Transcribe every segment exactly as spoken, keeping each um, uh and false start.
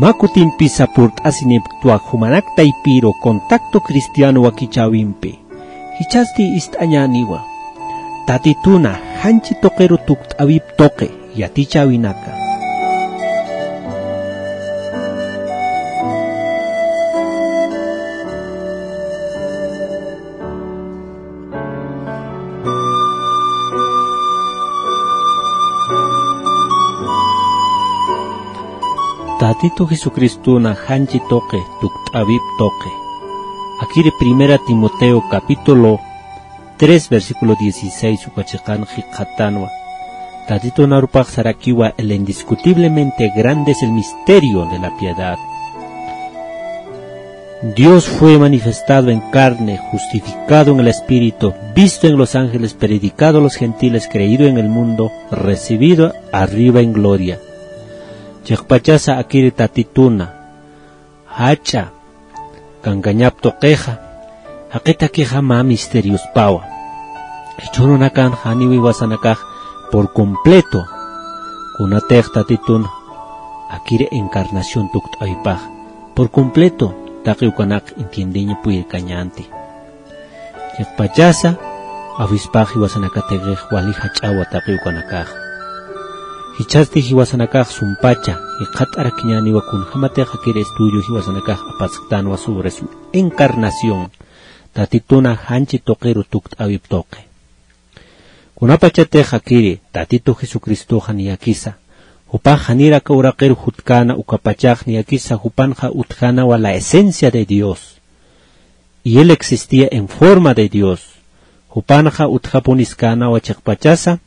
Mä kutimpisa purt'asinipktwa jumanak taypiru Contacto Cristiano wakichäwimpi. Jichhasti ist'añäniwa. Tatituna janchi tuqiru tukt'äwip tuqi yatichäwinaka. Tatitu Jesucristuna janchi tuqi tukt'äwip tuqi. Akiri Primera Timoteo capítulo tres, versículo dieciséis uka chiqan jikxatanwa. Tatitun arupax sarakiwa: el indiscutiblemente grande es el misterio de la piedad. Dios fue manifestado en carne, justificado en el Espíritu, visto en los ángeles, predicado a los gentiles, creído en el mundo, recibido arriba en gloria. Chiqpachasa akiri Tatituna jach'a kankañap tuqixa, jaqitakixa mä misteriospawa. Jichhürunakan janiw jiwasanakax por completo, kunatix Tatitun akiri encarnación tukt'äwipax, por completo taqi ukanak entiendeñ puyirkañänti. Chiqpachasa, awispax jiwasanakatix wali jach'awa taqi ukanakax. Jichhasti jiwasanakax sumpacha jikxatarakiñäniwa kunjämatix akiri estudio jiwasanakax apasktanwa sobre su encarnación, Tatituna janchi tuqiru tukt'äwip tuqi. Kunapachatix akiri Tatitu Jesucristoxa niyakisa, jupax janir aka uraqir jutkäna ukapachax niyakisa jupanxa utjänawa la esencia de Dios. Y él existía en forma de Dios. Jupanxa utjapuniskänawa chiqpachasa,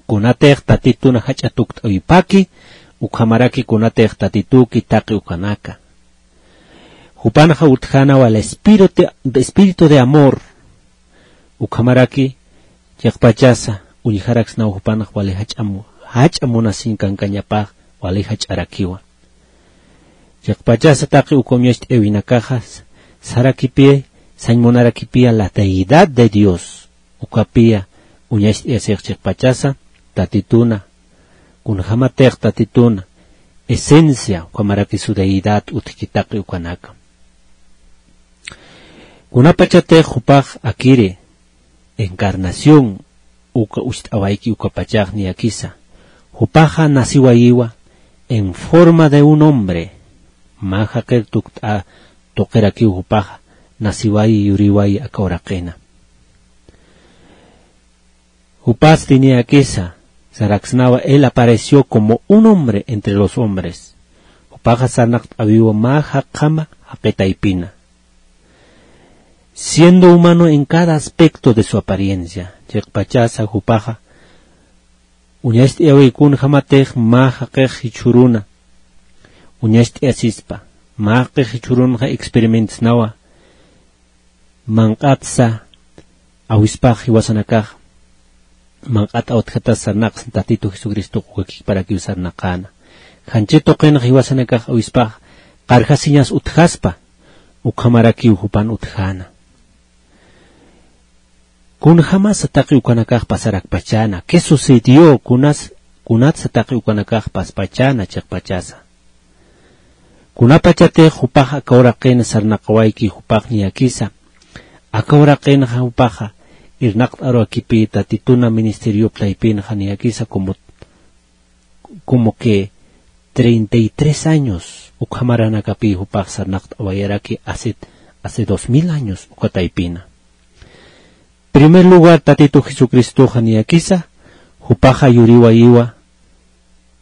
kunatix Tatitun jach'a tukt'äwipaki, ukhamaraki kunatix Tatituki taqi ukanaka. Jupanxa utjänawa el espíritu, espíritu de amor. Ukhamaraki chiqpachasa uñjaraksnaw jupanx wali jach'a mu-, jach'a munasiñ kankañapax wali jach'arakiwa. Chiqpachasa taqi uka uñacht'äwinakaxa sarakipï sañ munarakipï la deidad de Dios. Ukapï uñacht'ayasix chiqpachasa Tatituna, kunjämatix Tatituna esencia, ukhamaraki su deidad utjki taqi ukanaka. Kunapachatix jupax akiri encarnación uka ucht'awayki ukapachax niyakisa, jupaxa naciwayiwa en forma de un hombre. Mä jaqir tukt'a tuqirakiw jupaxa naciwayi yuriwayi aka uraqina. Jupasti niyakisa saraksnawa, él apareció como un hombre entre los hombres. Jupaxa sarnaqt'äwiwa mä jaqjama jaqi taypina. Siendo humano en cada aspecto de su apariencia. Chiqpachasa jupaxa uñacht'ayäwi kunjämatix mä jaqix jichhüruna uñacht'ayasispa, mä jaqix jichhürunxa experimentsnawa, manq'atsa awispax jiwasanakax manq'at awtjatas sarnaqsna Tatitu Jesucristox uka kikparakiw sarnaqäna. Janchi tuqinx jiwasanakax awispax qarjasiñas utjaspa, ukhamarakiw jupan utjäna. Kunjämasa taqi ukanakax pasarakpachäna, ¿qué sucedió? Kunas, kunatsa taqi ukanakax paspachäna chiqpachasa. Kunapachatix jupax aka uraqin sarnaqawayki jupax niyakisa, aka uraqinxa jupaxa irnaqt'arurakipï Tatituna ministeriop taypinxa niyakisa como, como que treinta y tres años ukhamaranakapï jupax sarnaqt'awayaraki hace, hace dos mil años uka taypina. Primer lugar, Tatitu Jesucristoxa niyakisa jupaxa yuriwayiwa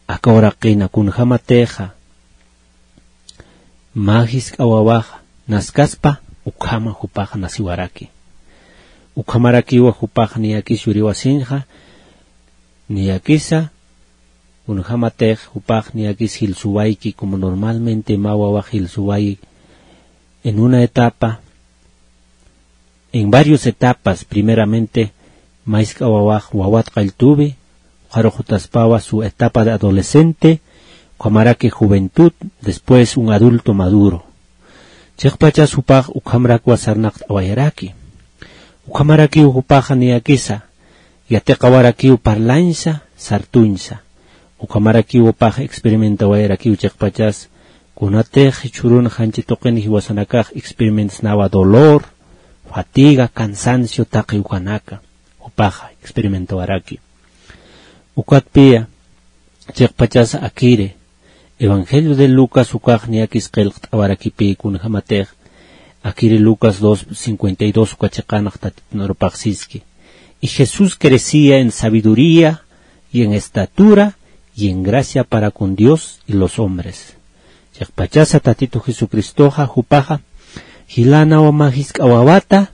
aka uraqina kunjämatixa mä jisk'a wawaxa naskaspa ukhama jupaxa naciwaraki. Ukhamarakiwa jupaxa niyakis yuriwasiñxa, niyakisa kunjämatix jupax niyakis jilsuwayki, como normalmente mä wawax jilsuwayi en una etapa, en varias etapas, primeramente mä jisk'a wawax wawat qalltuwi, ukharux jutaspawa su etapa de adolescente, ukhamaraki juventud, después un adulto maduro. Chiqpachas jupax ukhamarakwa sarnaqt'awayaraki. Ukhamarakiw jupaxa niyakisa yatiqawarakiw parlañsa, sartuñsa. Ukhamarakiw jupax experimentawayarakiw chiqpachas Kunatix jichhürun janchi tuqin jiwasanakax experimentsnawa dolor, fatiga, cansancio taqi ukanaka, jupaxa experimentawaraki. Ukatpiya, chiqpachasa akiri, Evangelio de Lucas ukax niyakis qillqt'awarakipï kunjamatix, akiri Lucas dos cincuenta y dos uka chiqanx Tatitun arupax siski. Y Jesús crecía en sabiduría y en estatura y en gracia para con Dios y los hombres. Chiqpachasa Tatitu Jesucristoxa jupaxa jilanaw mä jisk'a wawata,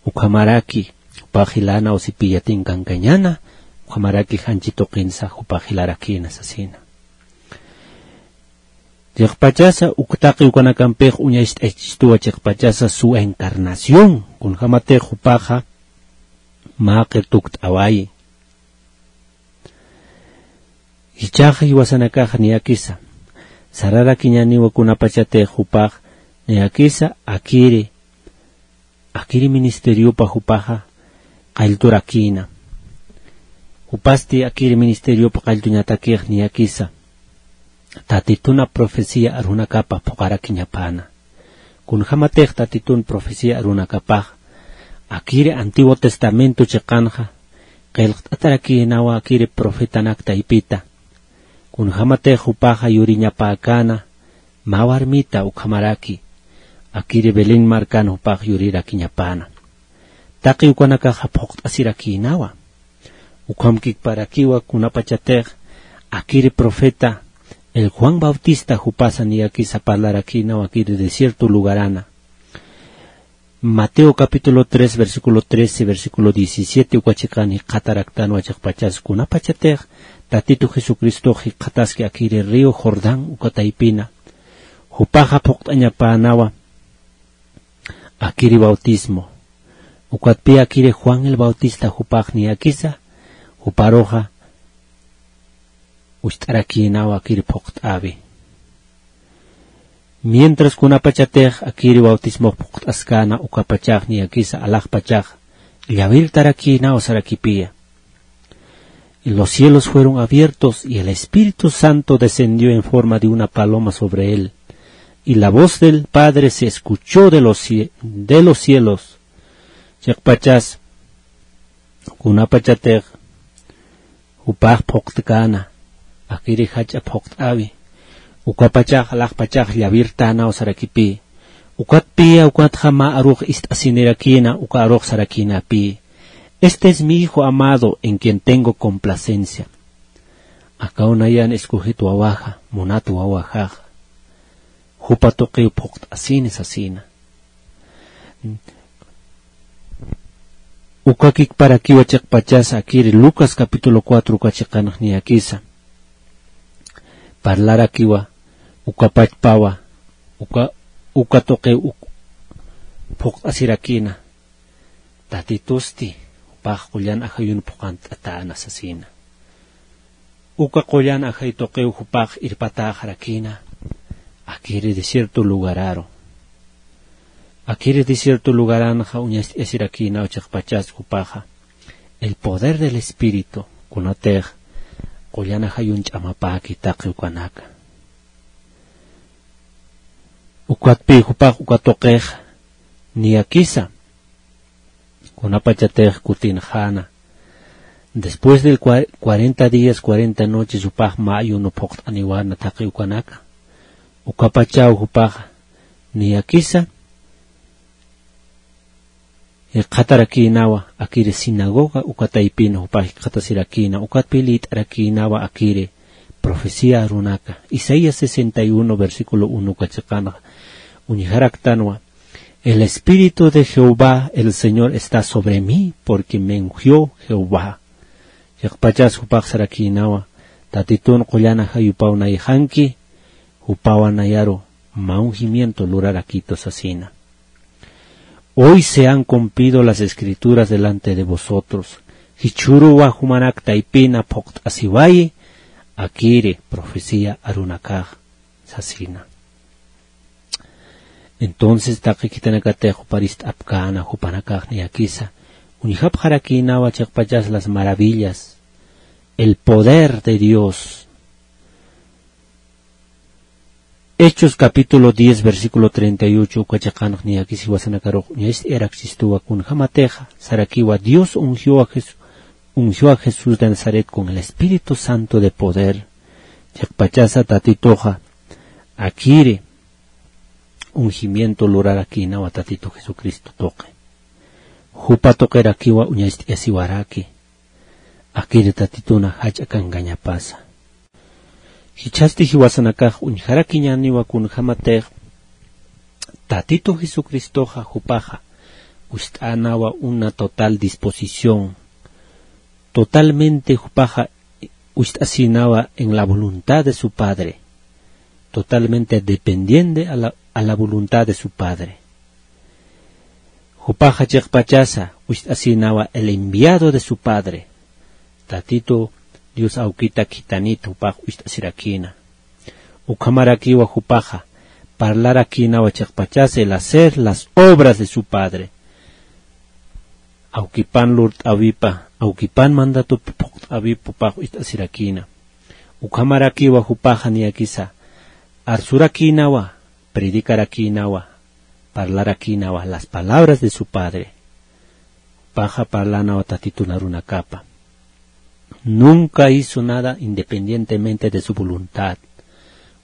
ukhamaraki jupax jilanaw sipiyatin kankañäna, ukhamaraki janchi tuqinsa jupax jilarakïna sasina. Chiqpachasa uk taqi ukanakampix uñacht'achistuwa chiqpachasa su encarnación, kunjamatix jupaxa mä qillqt'awayi. Jichhaxa jiwasanakax niyakisa sararakiñäniwa kunapachatix jupax niyakisa akiri, akiri ministeriopa jupaxa qallturakïna. Jupasti akiri ministeriopa qalltuñatakix niyakisa Tatitun profecía arunakapa phuqharakiñapäna. Kunjamatix Tatitun profecía arunakapax, akiri Antiguo Testamento chiqanxa, qillqt'atarakïnawa akiri profetanak taypita. Kunjamatix jupaxa yuriñapäkäna, mä warmita ukhamaraki, akiri Belén markan jupax yurirakiñapäna. Taqi ukanakaxa phuqt'asirakïnawa. Ukhamkikparakiwa kunapachatix akiri profeta, el Juan Bautista jupasa niyakisa parlarakïnawa akiri desierto lugarana. Mateo capítulo tres, versículo trece, versículo diecisiete uka chiqan jikxataraktanwa chiqpachas kunapachatix Tatitu Jesucristox jikxataski akiri río Jordán uka taypina. Jupaxa phuqt'añapänawa akiri bautismo. Ukatpï akiri Juan el Bautista jupax niyakisa, juparuxa ucht'arakïnawa akiri phuqt'äwi. Mientras kunapachatix akiri bautismox phuqt'askäna ukapachax niyakisa alaxpachax llawirtarakïnaw sarakipïya. Y los cielos fueron abiertos y el Espíritu Santo descendió en forma de una paloma sobre él. Y la voz del Padre se escuchó de los cie-, de los cielos. Chiqpachas, kunapachatix jupax phuqt'käna, akiri jach'a phuqt'äwi, ukapachax alaxpachax llawirtänaw sarakipï. Ukatpïya ukatxa mä arux ist'asinirakïna, uka arux sarakïnapï: "Este es mi Hijo amado en quien tengo complacencia". Akaw nayan escogit wawaxa, munat wawaxaxa. Jupa tuqiw phuqt'asini sasina. Ukakikparakiwa chiqpachas akiri Lucas capítulo cuatro uka chiqanx niyakisa parlarakiwa, ukapachpawa, uka, uka tuqiw uk-, phuqt'asirakïna. Tatitusti, jupax qullan ajayun phuqant'atäna sasina. Uka qullan ajay tuqiw jupax irpatäxarakïna, akiri desierto lugararu. Akiri desierto lugaranxa uñacht'asirakïnaw chiqpachas jupaxa, el poder del Espíritu, kunatix qullan ajayun ch'amapäki taqi ukanaka. Ukatpï jupax uka tuqix niyakisa, kunapachatix kutinxäna. Después del cua-, cuarenta días, cuarenta noches, jupax mä ayuno phuqt'aniwäna taqi ukanaka. Ukapachaw jupax niyakisa, jikxatarakïnawa, akiri sinagoga uka taypin jupax jikxatasirakïna, ukatpï liyt'arakïnawa akiri profecía arunaka. Isaías sesenta y uno, versículo uno uka chiqanxa uñjaraktanwa: "El Espíritu de Jehová, el Señor, está sobre mí, porque me ungió Jehová". Chiqpachas jupax sarakïnawa, Tatitun qullan ajayupaw nayxanki, jupawa nayaru mä ungimiento lurarakitu sasina. Hoy se han cumplido las Escrituras delante de vosotros. Jichhüruwa jumanak taypina phuqt'asiwayi, akiri profecía arunakax sasina. Entonces, taqi khitinakatix juparist'apkäna, jupanakax niyakisa uñjapxarakïnawa chiqpachas las maravillas, el poder de Dios. Hechos capítulo diez, versículo treinta y ocho, uka chiqanx niyakis jiwasanakarux uñacht'ayarakistuwa kunjamatixa sarakiwa Dios ungiwa Jes-, ungiwa Jesús de Nazaret con el Espíritu Santo de poder. Chiqpachasa Tatituxa akiri ungimiento lurarakïnawa Tatitu Jesucristo tuqi. Jupa tuqirakiwa uñacht'ayasiwaraki. Akiri Tatituna jach'a kankañapasa. Jichhasti jiwasanakax uñjarakiñäniwa kunjamatix Tatitu Jesucristoxa jupaxa ucht'änawa una total disposición. Totalmente jupaxa ucht'asïnawa en la voluntad de su Padre. Totalmente dependiente a la, a la voluntad de su Padre. Jupaxa chiqpachasa ucht'asïnawa el enviado de su Padre. Tatitu Dios awkita khitanit jupax ucht'asirakïna. Ukhamarakiwa jupaxa parlarakïnawa chiqpachasa el hacer las obras de su Padre. Awkipan lurt'äwipa, awkipan mandatup phuqt'äwipa jupax ucht'asirakïna. Ukhamarakiwa jupaxa niyakisa arsurakïnawa, predikarakïnawa, parlarakïnawa las palabras de su Padre. Jupaxa parlanawa Tatitun arunakapa. Nunca hizo nada independientemente de su voluntad.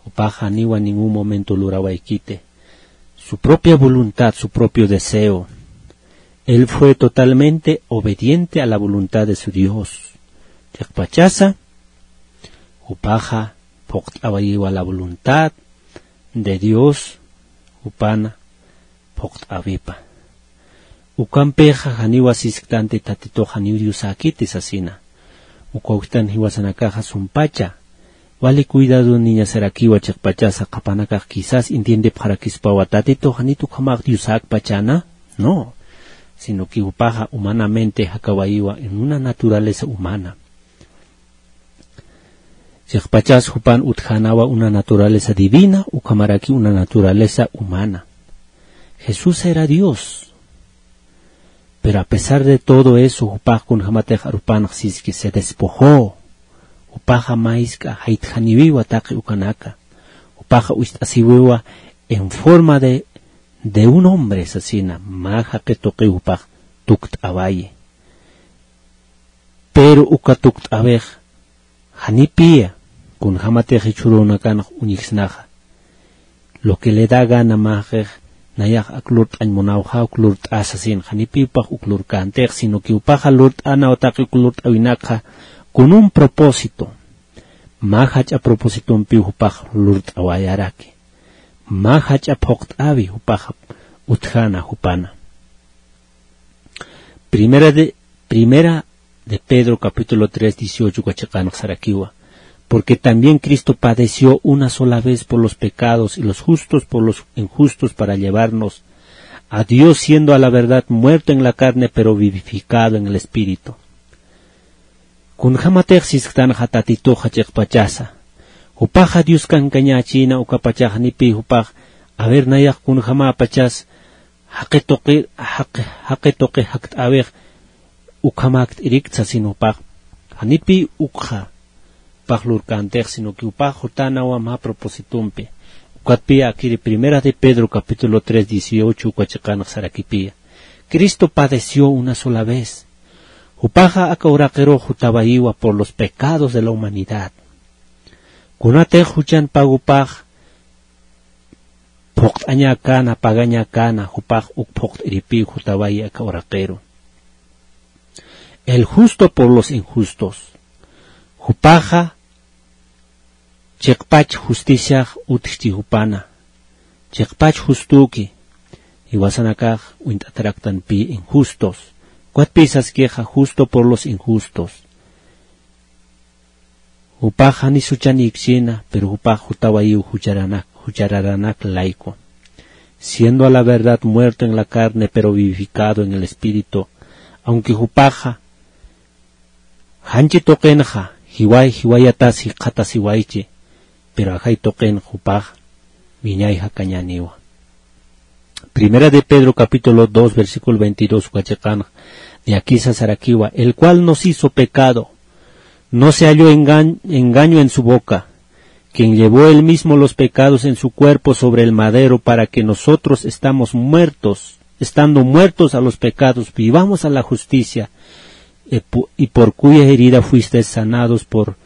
Jupaxa janiwa ningún momento lurawaykiti su propia voluntad, su propio deseo. Él fue totalmente obediente a la voluntad de su Dios. Chiqpachasa, jupaxa phuqt'awayiwa la voluntad de Dios, jupana phuqt'äwipa. Ukampixa janiwa sisktanti Tatitux janiw Diosäkiti sasina. Uka ukhtan jiwasanakaxa sumpacha wali cuidadoniñasarakiwa chiqpachasa qhapanakax quizás entiendepxarakispawa Tatitux janit ukhamax Diosäkpachäna, no, sino que jupaxa humanamente jakawayiwa en una naturaleza humana. Chiqpachas jupan utjänawa una naturaleza divina, ukhamaraki una naturaleza humana. Jesús era Dios. Pero a pesar de todo eso, jupax kunjamatix arupanx siski se despojó. Jupaxa mä jisk'a jaytjaniwiwa taqi ukanaka. Jupaxa ucht'asiwiwa en forma de, de un hombre sasina, mä jaqi tuqiw jupax tukt'awayi. Pero uka tukt'äwix janipiya, kunjamatix jichhürunakanx uñjsnaxa. Lo que le da gana mä jaqix, nayax ak lurt'añ munawxa, uk lurt'asa sasin, janipiw jupax uk lurkäntix, sino que jupaxa lurt'änaw taqi uk lurt'äwinakxa con un propósito. Mä jach'a propósitompiw jupax lurt'awayaraki. Mä jach'a phuqt'äwi jupax utjäna jupana. Primera de, Primera de Pedro capítulo tres, dieciocho uka chiqanx sarakiwa. Porque también Cristo padeció una sola vez por los pecados y los justos por los injustos para llevarnos a Dios, siendo a la verdad muerto en la carne, pero vivificado en el Espíritu. Kunjamatix sisktanxa Tatituxa chiqpachasa. Jupaxa Dios kankañächïna ukapachax janipiy jupax, a ver nayax kunjamäpachas jaqi tuqi, jaqi, jaqi tuqi jakt'äwix ukhamäkt'irikta sasin jupax. Janipiy ukxa jupax lurkäntix, sino que jupax jutänawa mä propósitompi. Ukatpiya akiri Primera de Pedro capítulo tres, dieciocho uka chiqanx sarakipiya. Cristo padeció una sola vez. Jupaxa aka uraqirux jutawayiwa por los pecados de la humanidad. Kunatix juchan pagupax phuqt'añäkäna, pagañäkäna, jupax uk phuqt'iripiw jutawayi aka uraqiru. El justo por los injustos. Jupaxa chiqpach justiciax utjchi jupana. Chiqpach justuki. Jiwasanakax uñt'ataraktanpï injustos. Ukatpï saskixa justo por los injustos. Jupax jani suchanïkchïna, pero jupax jutawayiw jucharanak, juchararanak layku. Siendo a la verdad muerto en la carne, pero vivificado en el espíritu. Aunque jupaxa janchi tuqinxa, jiway, jiwayatas jikxatasiwaychi, pero ajay tuqin jupax wiñay jakañäniwa. Primera de Pedro capítulo dos, versículo veintidós uka chiqanx, niyakisa sarakiwa, el cual nos hizo pecado, no se halló engañ-, engaño en su boca, quien llevó él mismo los pecados en su cuerpo sobre el madero para que nosotros estamos muertos, estando muertos a los pecados, vivamos a la justicia. Y pu-, y por cuya herida fuisteis sanados, por,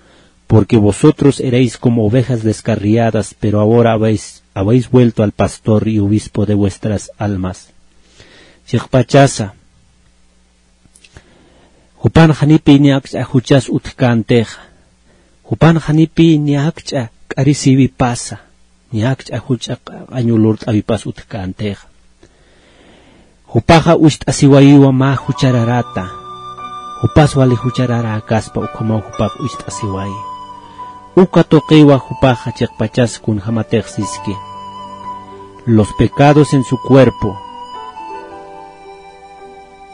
porque vosotros erais como ovejas descarriadas, pero ahora habéis, habéis vuelto al pastor y obispo de vuestras almas. Chiqpachasa, jupan janipi ni akch'a juchas utjkäntixa, jupan janipi ni akch'a k'arisiwipasa, ni akch'a juch'a q'añu lurt'awipas utjkäntixa. Jupaxa ucht'asiwayiwa mä juchararäta. Jupas wali juchararäkaspa ukhamaw jupax ucht'asiwayi. Uka tuqiwa jupaxa chiqpachas kunjamatix siski. Los pecados en su cuerpo.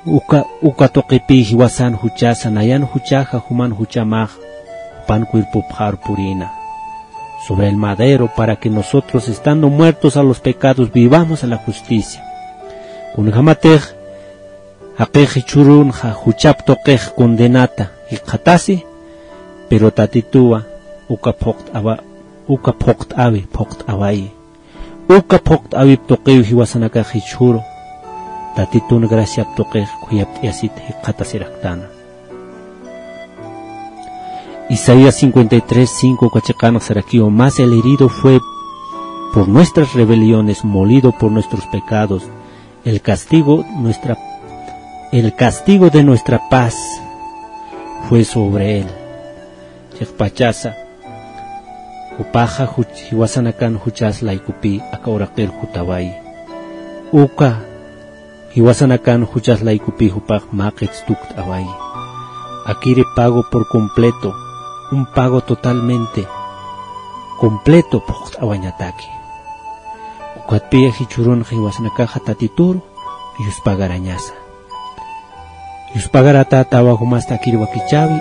Uka, uka tuqipï jiwasan juchasa, nayan juchaxa juman juchamax, jupan cuerpopxar purïna. Sobre el madero, para que nosotros, estando muertos a los pecados, vivamos a la justicia. Kunjamatix, jaqix jichhürunxa juchap tuqix condenata jikxatasi, pero Tatituwa, uka phuqt'awa, uka phuqt'awi, phuqt'awayi. Uka phuqt'awip tuqiw jiwasanakax jichhüru, Tatitun graciap tuqix khuyapt'ayasit jikxatasiraktana. Isaías cincuenta y tres cinco uka chiqanx sarakiwa, mas el herido fue por nuestras rebeliones, molido por nuestros pecados, el castigo, nuestra, el castigo de nuestra paz fue sobre él. Chiqpachasa, jupaxa juch-, jiwasanakan juchas laykupï aka uraqir jutawayi. Uka jiwasanakan juchas laykupï jupax mä qits tukt'awayi. Akiri pago por completo, un pago totalmente completo phuqt'awañataki. Ukatpï jichhürunxa jiwasanakaxa Tatituru yuspagarañasa. Yuspagaratätawa jumasta akiri wakichäwi,